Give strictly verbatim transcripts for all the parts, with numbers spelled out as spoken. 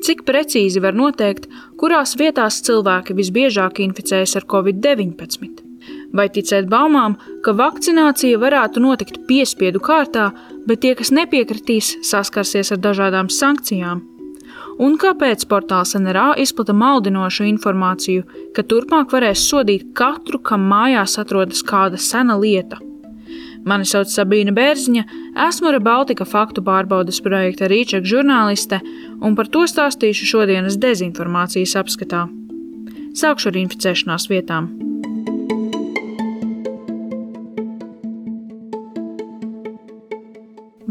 Cik precīzi var noteikt, kurās vietās cilvēki visbiežāk inficējas ar covid deviņpadsmit? Vai ticēt baumām, ka vakcinācija varētu notikt piespiedu kārtā, bet tie, kas nepiekritīs, saskarsies ar dažādām sankcijām? Un kāpēc portāls N R A izplata maldinošu informāciju, ka turpmāk varēs sodīt katru, kam mājās atrodas kāda sena lieta? Mani sauc Sabīna Bērziņa, esmu ReBaltica faktu pārbaudes projekta Rīček žurnāliste, un par to stāstīšu šodienas dezinformācijas apskatā. Sākšu ar inficēšanās vietām.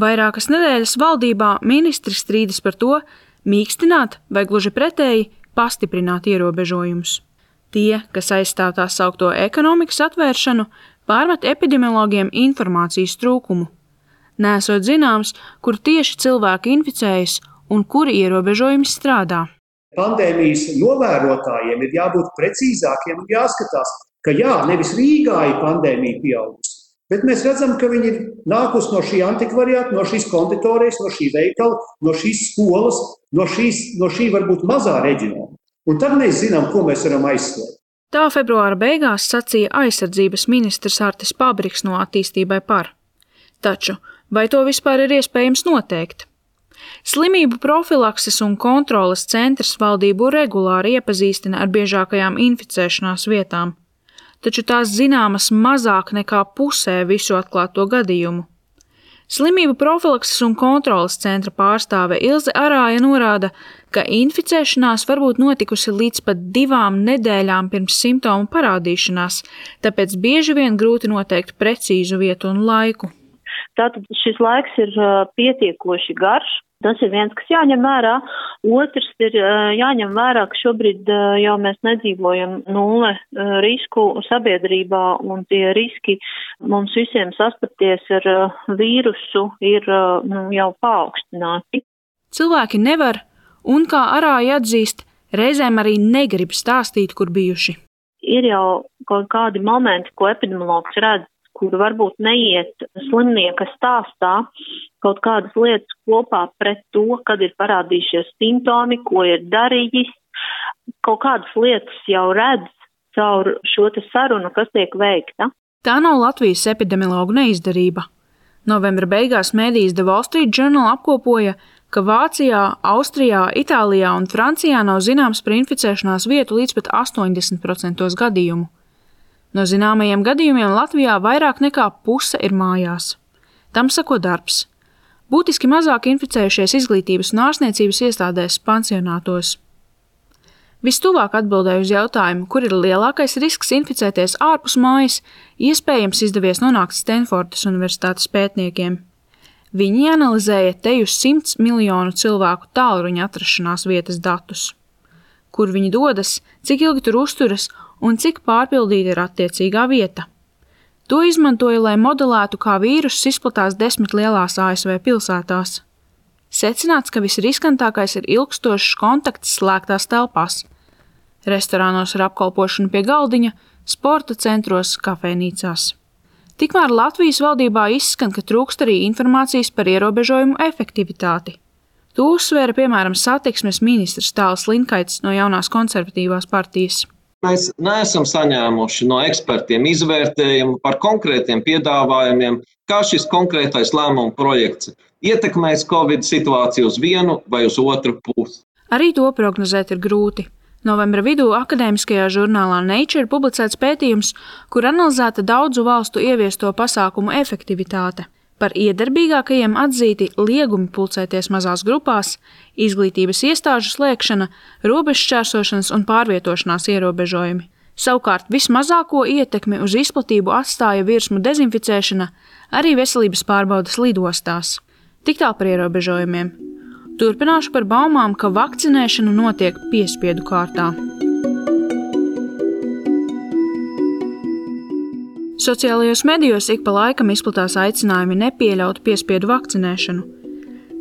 Vairākas nedēļas valdībā ministri strīdas par to, mīkstināt vai gluži pretēji pastiprināt ierobežojumus. Tie, kas aizstāv tā saukto ekonomikas atvēršanu, pārmet epidemiologiem informācijas trūkumu. Nesot zināms, kur tieši cilvēki inficējas un kuri ierobežojumi strādā. Pandēmijas novērotājiem ir jābūt precīzākiem un jāskatās, ka jā, nevis Rīgā ir pandēmija pieaugusi, bet mēs redzam, ka viņi ir nākusi no šī antikvariāta, no šīs konditorijas, no šī veikala, no šīs skolas, no, šīs, no šī varbūt mazā reģionā. Un tad mēs zinām, ko mēs varam aizslēgt. Tā februāra beigās sacīja aizsardzības ministrs Artis Pabriks no Attīstībai par. Taču, vai to vispār ir iespējams noteikt? Slimību profilakses un kontroles centrs valdību regulāri iepazīstina ar biežākajām inficēšanās vietām, taču tās zināmas mazāk nekā pusē visu atklāto gadījumu. Slimību profilakses un kontroles centra pārstāve Ilze Arāja norāda, ka inficēšanās var būt notikusi līdz pat divām nedēļām pirms simptomu parādīšanās, tāpēc bieži vien grūti noteikt precīzu vietu un laiku. Tātad šis laiks ir pietiekoši garš. Tas ir viens, kas jāņem vērā. Otrs ir jāņem vērā, ka šobrīd jau mēs nedzīvojam nulle risku sabiedrībā, un tie riski mums visiem sastapties ar vīrusu ir nu, jau paaugstināti. Cilvēki nevar, un kā Arāja atzīst, reizēm arī negrib stāstīt, kur bijuši. Ir jau kaut kādi momenti, ko epidemiologs redz, kur varbūt neiet slimnieka stāstā kaut kādas lietas kopā pret to, kad ir parādījušies simptomi, ko ir darījis. Kaut kādas lietas jau redz caur šo te sarunu, kas tiek veikta. Tā nav Latvijas epidemiologu neizdarība. Novembra beigās mēdījis The Wall Street Journal apkopoja, ka Vācijā, Austrijā, Itālijā un Francijā nav zināms par inficēšanās vietu līdz pat astoņdesmit procenti gadījumu. No zināmajiem gadījumiem Latvijā vairāk nekā puse ir mājās. Tam sako darbs. Būtiski mazāk inficējušies izglītības un ārstniecības iestādēs pansionātos. Vistuvāk atbildēju uz jautājumu, kur ir lielākais risks inficēties ārpus mājas, iespējams izdevies nonākt Stenfordas universitātes pētniekiem. Viņi analizēja teju simts miljonu cilvēku tālruņa atrašanās vietas datus. Kur viņi dodas, cik ilgi tur uzturas un cik pārpildīta ir attiecīgā vieta. To izmantoja, lai modelētu, kā vīruss izplatās desmit lielās A S V pilsētās. Secināts, ka visriskantākais ir ilgstošs kontakts slēgtās telpās. Restorānos ar apkalpošanu pie galdiņa, sporta centros, kafejnīcās. Tikmēr Latvijas valdībā izskan, ka trūkst arī informācijas par ierobežojumu efektivitāti. To uzsvēra, piemēram, satiksmes ministrs Tāls Linkaits no jaunās konservatīvās partijas. Mēs neesam saņēmuši no ekspertiem izvērtējumu par konkrētiem piedāvājumiem, kā šis konkrētais lēmuma projekts ietekmēs Covid situāciju uz vienu vai uz otru pusi. Arī to prognozēt ir grūti. Novembra vidū akadēmiskajā žurnālā Nature publicēts pētījums, kur analizēta daudzu valstu ieviesto pasākumu efektivitāte. Par iedarbīgākajiem atzīti liegumi pulcēties mazās grupās, izglītības iestāžu slēgšana, robežšķērsošanas un pārvietošanās ierobežojumi. Savukārt vismazāko ietekmi uz izplatību atstāja virsmu dezinficēšana, arī veselības pārbaudes lidostās. Tik tālu par ierobežojumiem. Turpināšu par baumām, ka vakcinēšana notiek piespiedu kārtā. Sociālajos medijos ik pa laikam izplatās aicinājumi nepieļaut piespiedu vakcinēšanu.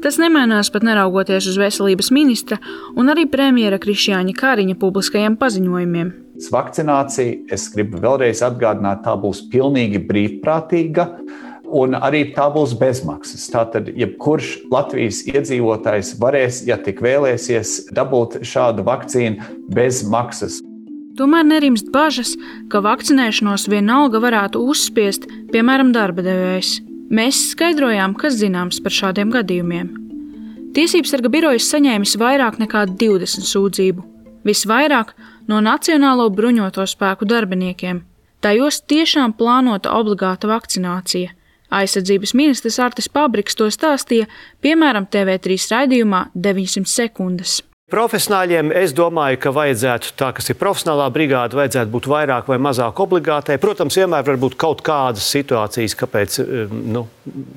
Tas nemainās pat neraugoties uz veselības ministra un arī premjera Krišjāņa Kariņa publiskajiem paziņojumiem. Vakcinācija, es gribu vēlreiz atgādināt, tā būs pilnīgi brīvprātīga Un arī tā būs bezmaksas. Tātad, jebkurš Latvijas iedzīvotājs varēs, ja tik vēlēsies, dabūt šādu vakcīnu bez maksas. Tomēr nerimst bažas, ka vakcinēšanos vienalga varētu uzspiest, piemēram, darba devējs. Mēs skaidrojām, kas zināms par šādiem gadījumiem. Tiesībsarga birojas saņēmis vairāk nekā divdesmit sūdzību. Visvairāk no Nacionālo bruņoto spēku darbiniekiem. Tajos tiešām plānota obligāta vakcinācija. Aizsardzības ministrs Artis Pabriks to stāstīja, piemēram, T V trīs raidījumā deviņsimt sekundes. Profesionāļiem es domāju, ka vajadzētu tā, kas ir profesionālā brigāde, vajadzētu būt vairāk vai mazāk obligātai. Protams, vienmēr var būt kaut kādas situācijas, kāpēc nu,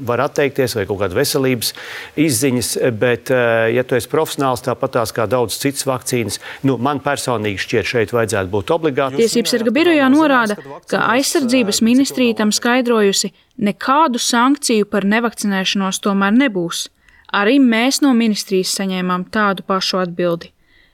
var atteikties vai kaut kāda veselības izziņas, bet, ja tu esi profesionāls, tāpatās kā daudz citas vakcīnas, nu, man personīgi šķiet šeit vajadzētu būt obligāti. Tiesībsarga birojā norāda, ka aizsardzības ministrija tam skaidrojusi, nekādu sankciju par nevakcinēšanos tomēr nebūs. Arī mēs no ministrijas saņēmām tādu pašu atbildi.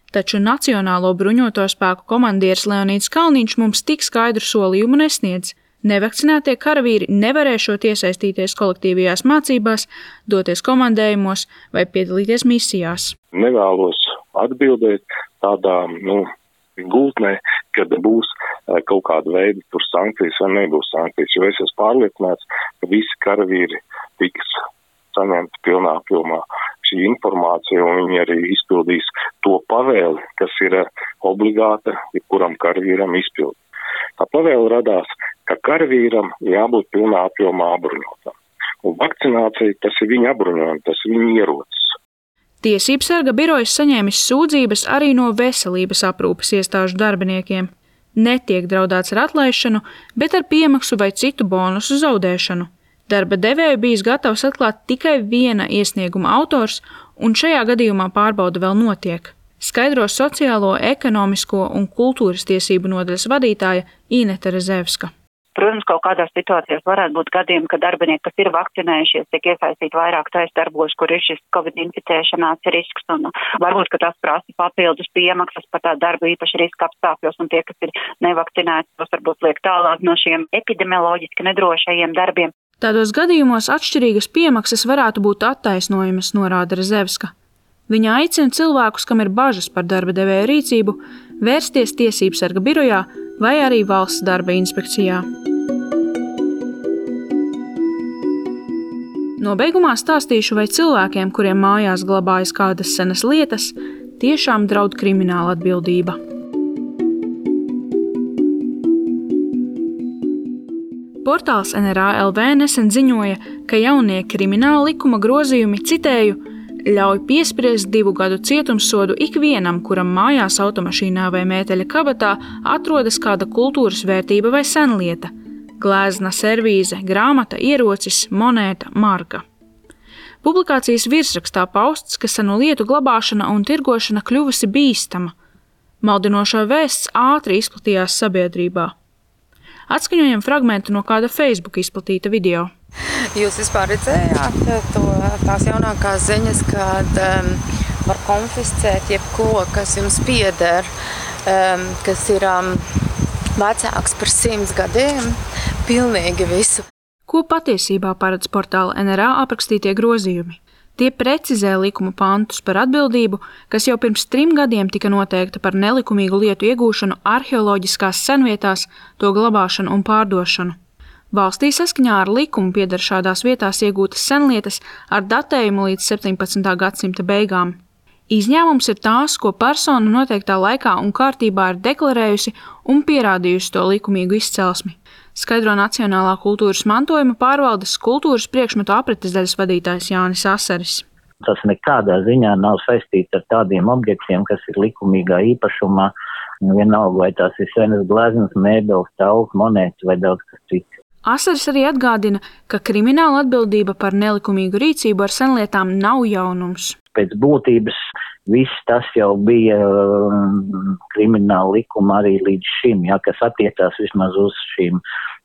Taču Nacionālo bruņoto spēku komandieris Leonīds Kalniņš mums tik skaidru solījumu nesniedz. Nevakcinētie karavīri nevarēšot iesaistīties kolektīvajās mācībās, doties komandējumos vai piedalīties misijās. Nevēlos atbildēt tādā, nu, gultnē, kad būs kaut kāda veida tur sankcijas vai nebūs sankcijas, jo es esmu pārliecināts, ka visi karavīri tiks saņemt pilnā apjomā šī informācija, un viņi arī izpildīs to pavēli, kas ir obligāta jebkuram karavīram izpildīt. Tā pavēle radās, ka karavīram jābūt pilnā apjomā apbruņotam. Un vakcinācija, tas ir viņa apbruņojums, tas ir viņa ierocis. Tiesībsarga birojas saņēmis sūdzības arī no veselības aprūpes iestāžu darbiniekiem. Netiek draudēts ar atlaišanu, bet ar piemaksu vai citu bonusu zaudēšanu. Darba devēju bijis gatavs atklāt tikai viena iesnieguma autors, un šajā gadījumā pārbauda vēl notiek. Skaidro sociālo, ekonomisko un kultūras tiesību nodaļas vadītāja Ineta Rezevska. Protams, kaut kādās situācijās varētu būt gadījumi, ka darbinieki, kas ir vakcinējušies, tiek iesaistīti vairāk tais darbos, kur ir šis Covid inficēšanās risks, un varbūt, ka tas prasa papildus piemaksas par tā darbu īpaši riska apstākļos, un tie, kas ir nevakcinēti, tos varbūt liek tālāk no šiem epidemioloģiski nedrošajiem darbiem. Tādos gadījumos atšķirīgas piemaksas varētu būt attaisnojamas, norāda Rezevska. Viņa aicina cilvēkus, kam ir bažas par darba devēja rīcību, vērsties tiesībsarga birojā vai arī valsts darba inspekcijā. Nobeigumā stāstīšu, vai cilvēkiem, kuriem mājās glabājas kādas senas lietas, tiešām draud krimināla atbildība. Portāls N R A L V nesen ziņoja, ka jaunie krimināla likuma grozījumi, citēju, ļauj piespriest divu gadu cietumsodu ikvienam, kuram mājās automašīnā vai mēteļa kabatā atrodas kāda kultūras vērtība vai senlieta – glezna, servīze, grāmata, ierocis, monēta, marka. Publikācijas virsrakstā pausts, ka senu lietu glabāšana un tirgošana kļuvusi bīstama. Maldinošā vēsts ātri izplatījās sabiedrībā. Atskaņojam fragmentu no kāda Facebook izplatīta video. Jūs vispār redzējāt to, tās jaunākās ziņas, kad um, var konfiscēt jebko, kas jums pieder, um, kas ir um, vecāks par simts gadiem, pilnīgi visu. Ko patiesībā paredz portāla N R A aprakstītie grozījumi? Tie precizē likuma pantus par atbildību, kas jau pirms trim gadiem tika noteikta par nelikumīgu lietu iegūšanu arheoloģiskās senvietās, to glabāšanu un pārdošanu. Valstī saskaņā ar likumu pieder šādās vietās iegūtas senlietas ar datējumu līdz septiņpadsmitā gadsimta beigām. Izņēmums ir tās, ko persona noteiktā laikā un kārtībā ir deklarējusi un pierādījusi to likumīgu izcelsmi, skaidro Nacionālā kultūras mantojuma pārvaldes kultūras priekšmetu apretes daļas vadītājs Jānis Asaris. Tas nekādā ziņā nav saistīts ar tādiem objektiem, kas ir likumīgā īpašumā, vienalga vai tās ir senas gleznas, mēbeles, tauls, monētas vai daudz kas cits. Asaris arī atgādina, ka krimināla atbildība par nelikumīgu rīcību ar senlietām nav jaunums. Pēc būtības viss tas jau bija um, krimināla likuma arī līdz šim, ja, kas attiecās vismaz uz šīm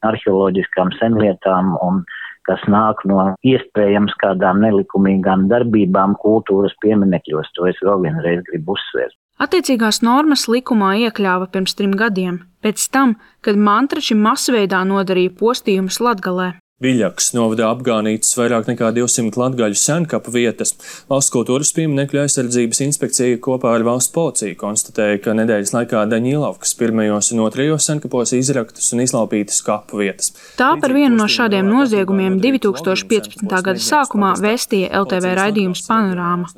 arheoloģiskām senlietām un kas nāk no iespējams kādām nelikumīgām darbībām kultūras pieminekļos. To es vēl vienreiz gribu uzsvērt. Attiecīgās normas likumā iekļāva pirms trim gadiem, pēc tam, kad mantrači masveidā nodarīja postījumus Latgalē. Viļakas novadā apgānītas vairāk nekā divsimt latgaļu senkapu vietas. Valsts kultūras pieminekļu aizsardzības inspekcija kopā ar valsts policiju konstatēja, ka nedēļas laikā Daņilovkas pirmajos un otrajos senkapos izraktas un izlaupītas kapu vietas. Tā par vienu no šādiem noziegumiem divi tūkstoši piecpadsmitā gada sākumā vēstīja L T V raidījums Panorāma.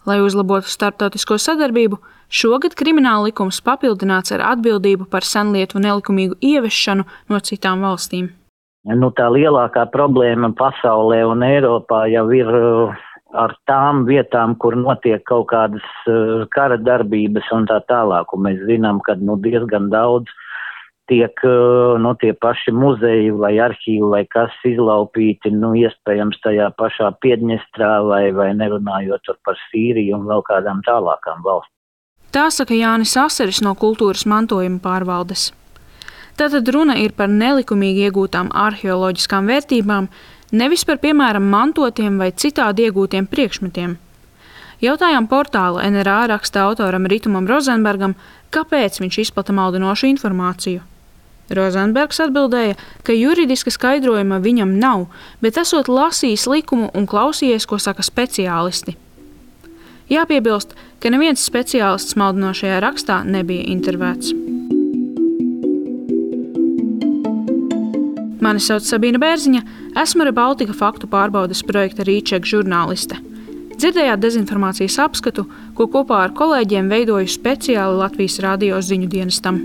Lai uzlabotu starptautisko sadarbību, šogad krimināla likums papildināts ar atbildību par senlietu nelikumīgu ieviešanu no citām valstīm. Nu, tā lielākā problēma pasaulē un Eiropā jau ir ar tām vietām, kur notiek kaut kādas kara darbības un tā tālāk. Un mēs zinām, ka nu, diezgan daudz tiek nu, tie paši muzeji vai arhīvi vai kas izlaupīti, nu, iespējams tajā pašā Piedņestrā vai, vai nerunājot par Sīriju un vēl kādām tālākām valstīm. Tā saka Jānis Aseris no kultūras mantojuma pārvaldes. Tātad runa ir par nelikumīgi iegūtām arheoloģiskām vērtībām, nevis par, piemēram, mantotiem vai citādi iegūtiem priekšmetiem. Jautājām portāla N R A raksta autoram Ritumam Rozenbergam, kāpēc viņš izplata maldinošu informāciju. Rozenbergs atbildēja, ka juridiska skaidrojuma viņam nav, bet esot lasījis likumu un klausījies, ko saka speciālisti. Jāpiebilst, ka neviens speciālists maldinošajā rakstā nebija intervēts. Mani sauc Sabīna Bērziņa, esmu Rebaltika faktu pārbaudes projekta Rīček žurnāliste. Dzirdējāt dezinformācijas apskatu, ko kopā ar kolēģiem veidoju speciāli Latvijas radio ziņu dienestam.